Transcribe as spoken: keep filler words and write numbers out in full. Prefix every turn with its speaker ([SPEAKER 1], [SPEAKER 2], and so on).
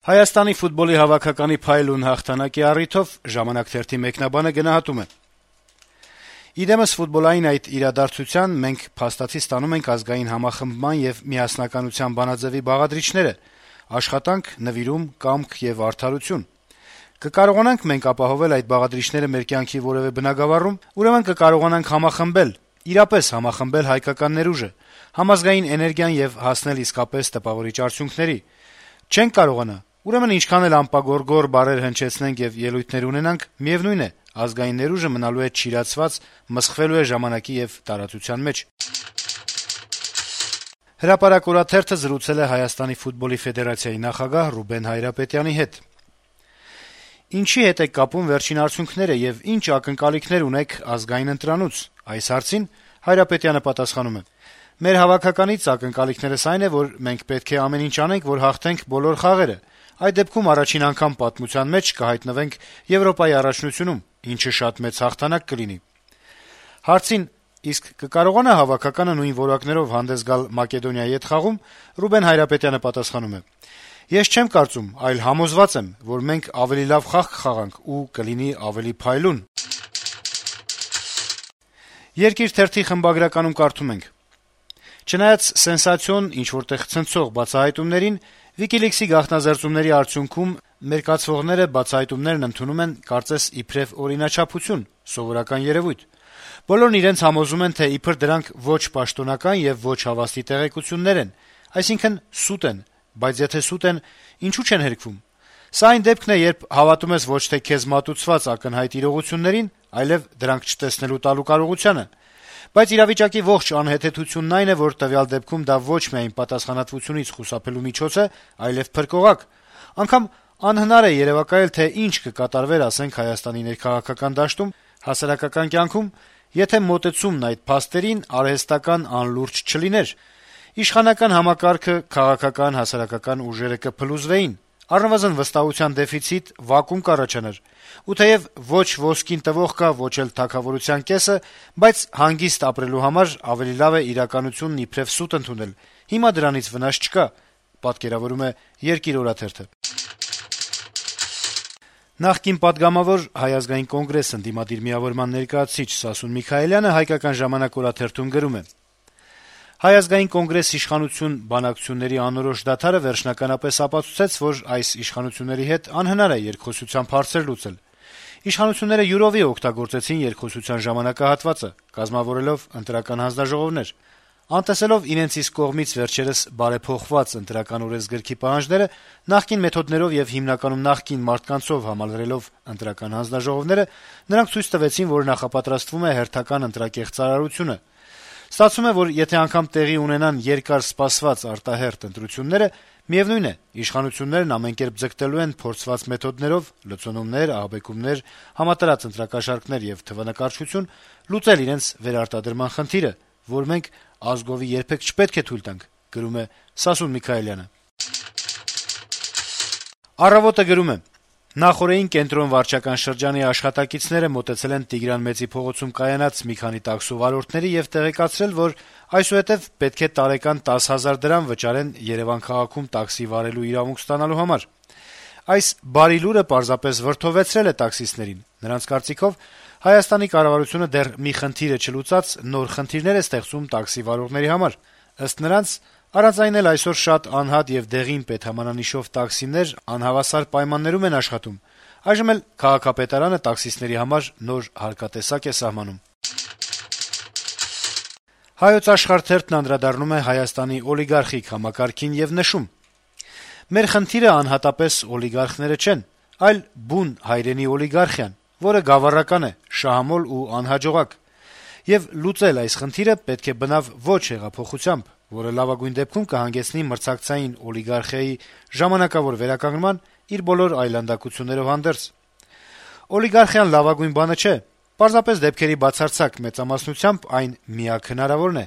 [SPEAKER 1] Հայաստանի ֆուտբոլի հավաքականի փայլուն հաղթանակի առիթով «Ժամանակ» թերթի մեկնաբանը գնահատում է. - «Իդեմս ֆուտբոլային այդ իրադարձության մենք փաստացի ստանում ենք ազգային համախմբման եւ միասնականության բանաձեւի բաղադրիչները՝ աշխատանք, նվիրում, կամք եւ արդարություն։ Կկարողանանք մենք ապահովել այդ բաղադրիչները մեր կյանքի որեւէ բնագավառում, ուրեմն կկարողանանք համախմբել, իրապես համախմբել հայկական ներուժը, համազգային էներգիան եւ հասնել իսկապես տպավորիչ արդյունքների։ Չենք կարողանա, ուրեմն ինչքան էլ անպագորգոր բառեր հնչեցնենք եւ ելույթներ ունենանք, միեւնույն է, ազգային ներուժը մնալու է չիրացված, մսխվելու է ժամանակի եւ տարածության մեջ»։ «Հրապարակ» օրաթերթը զրուցել է Հայաստանի ֆուտբոլի ֆեդերացիայի նախագահ Ռուբեն Հայրապետյանի հետ։ «Ինչի հետ եք կապում վերջին արդյունքները եւ ինչ ակնկալիքներ ունեք ազգային ընտրանուց» այս հարցին Հայրապետյանը պատասխանում է. - «Մեր հավաքականից ակնկալիքներս այն է, որ մենք պետք է ամեն ինչ անենք, որ հաղթենք բոլոր խաղերը։ Այդ դեպքում առաջին անգամ պատմության մեջ կհայտնվենք Եվրոպայի առաջնությունում, ինչը շատ մեծ հաղթանակ կլինի»։ Հարցին, իսկ կկարողանա հավաքականը նույն որակներով հանդես գալ Մակեդոնիայի հետ խաղում, Ռուբեն Հայրապետյանը պատասխանում է. - «Ես չեմ կարծում, այլ համոզված եմ, որ մենք ավելի լավ խաղ կխաղանք ու կլինի ավելի փայլուն»։ «Երկիր» թերթի խմբագրականում կարդում ենք. - «Չնայած սենսացիոն, ինչ-որտեղ ցնցող բացահայտումներին, WikiLeaks-ի գաղտնազերծումների արդյունքում մերկացվողները բացահայտումներն ընդունում են կարծես իբրեւ օրինաչափություն, սովորական երեւույթ։ Բոլորն իրենց համոզում են, թե իբր դրանք ոչ պաշտոնական եւ ոչ հավաստի տեղեկություններ են, այսինքն՝ սուտ են, բայց եթե սուտ են, ինչու չեն հերքվում։ Սա այն դեպքն է, երբ հավատում ես ոչ թե քեզ մատուցված ակնհայտ իրողություններին, այլեւ դրանք չտեսնելու տալու կարողությանը։ Բայց իրավիճակի ողջ անհեթեթությունն այն է, որ տվյալ դեպքում դա ոչ միայն պատասխանատվությունից խուսափելու միջոց է, այլեւ փրկողակ։ Անգամ անհնար է երեւակայել, թե ինչ կկատարվեր, ասենք, Հայաստանի ներքաղաքական դաշտում, հասարակական կյանքում, եթե մոտեցումն այդ փաստերին արհեստական անլուրջ չլիներ։ Իշխանական համակարգը, քաղաքական, հասարակական ուժերը կփլուզվեին, առնվազն վստահության դեֆիցիտ, վակուում կառաջանար։ Ու թեեւ ոչ ոսկին տվող կա, ոչ էլ թագավորության կեսը, բայց հանգիստ ապրելու համար ավելի լավ է իրականությունն իբրեւ սուտ ընդունել։ Հիմա դրանից վնաս չկա», պատկերավորում է «Երկիր» օրաթերթը։ Նախկին պատգամավոր Հայ ազգային կոնգրես ընդդիմադիր միավորման ներկայացուցիչ Սասուն Միքայելյանը «Հայկական ժամանակ» օրաթերթում գրում է. - «Հայ ազգային կոնգրես իշխանություն բանակցությունների անորոշ դադարը վերջնականապես ապացուցեց, որ այս իշխանությունների հետ անհնար է երկխոսությամբ հարցեր լուծել։ Իշխանությունները յուրովի օգտագործեցին երկխոսության ժամանակահատվածը, կազմավորելով ընտրական հանձնաժողովներ։ Անտեսելով իրենց իսկ կողմից վերջերս բարեփոխված ընտրական օրենսգրքի պահանջները, նախկին մեթոդներով եւ հիմնականում նախկին մարդկանցով համալրելով ընտրական հանձնաժողովները, նրանք ցույց տվեցին, որ նախապատրաստվում է հերթական ընտրակեղծ ծարարությունը։ Ստացվում է, որ եթե անգամ տեղի ունենան երկար սպասված արտահերթ ընտրությունները, միեւնույն է, իշխանություններն ամենքերպ ձգտելու են փորձված մեթոդներով լցոնումներ, ահաբեկումներ, համատարած ընտրակաշառքներ եւ թվանկարչություն լուծել իրենց վերարտադրման խնդիրը, որ մենք ազգովի երբեք չպետք է թույլ տանք», գրում է Սասուն Միքայելյանը։ «Առավոտ»-ը գրում է. - «Նախօրեին կենտրոն վարչական շրջանի աշխատակիցները մոտեցել են Տիգրան Մեծի փողոցում կայանած մի քանի տաքսու վարորդների եւ տեղեկացրել, որ այսուհետեւ պետք է տարեկան տասը հազար դրամ վճարեն Երեւան քաղաքում տաքսի վարելու իրավունք ստանալու համար։ Այս բարի լուրը պարզապես վրդովեցրել է տաքսիստներին։ Նրանց կարծիքով Հայաստանի կառավարությունը դեռ մի խնդիրը չլուծած նոր խնդիրներ է ստեղծում տաքսի վարողների համար։ Ըստ նրանց, առանց այն էլ այսօր շատ անհատ եւ դեղին պետհամանանիշով տաքսիներ անհավասար պայմաններում են աշխատում։ Այժմ էլ քաղաքապետարանը տաքսիստների համար նոր հարկատեսակ է սահմանում»։ «Հայոց Աշխարհ» թերթն անդրադառնում է Հայաստանի օլիգարխիկ համակարգին եւ նշում. - «Մեր խնդիրը անհատապես օլիգարխները չեն, այլ բուն հայրենի օլիգարխիան, որը գավառական է, շահամոլ ու անհաջողակ։ Եվ լուծել այս խնդիրը պետք է բնավ ոչ հեղափոխությամբ, որը լավագույն դեպքում կհանգեցնի մրցակցային օլիգարխիայի ժամանակավոր վերականգնման իր բոլոր այլանդակություններով հանդերձ։ Օլիգարխիան լավագույն բանը չէ, պարզապես դեպքերի բացարձակ մեծամասնությամբ այն միակ հնարավորն է»։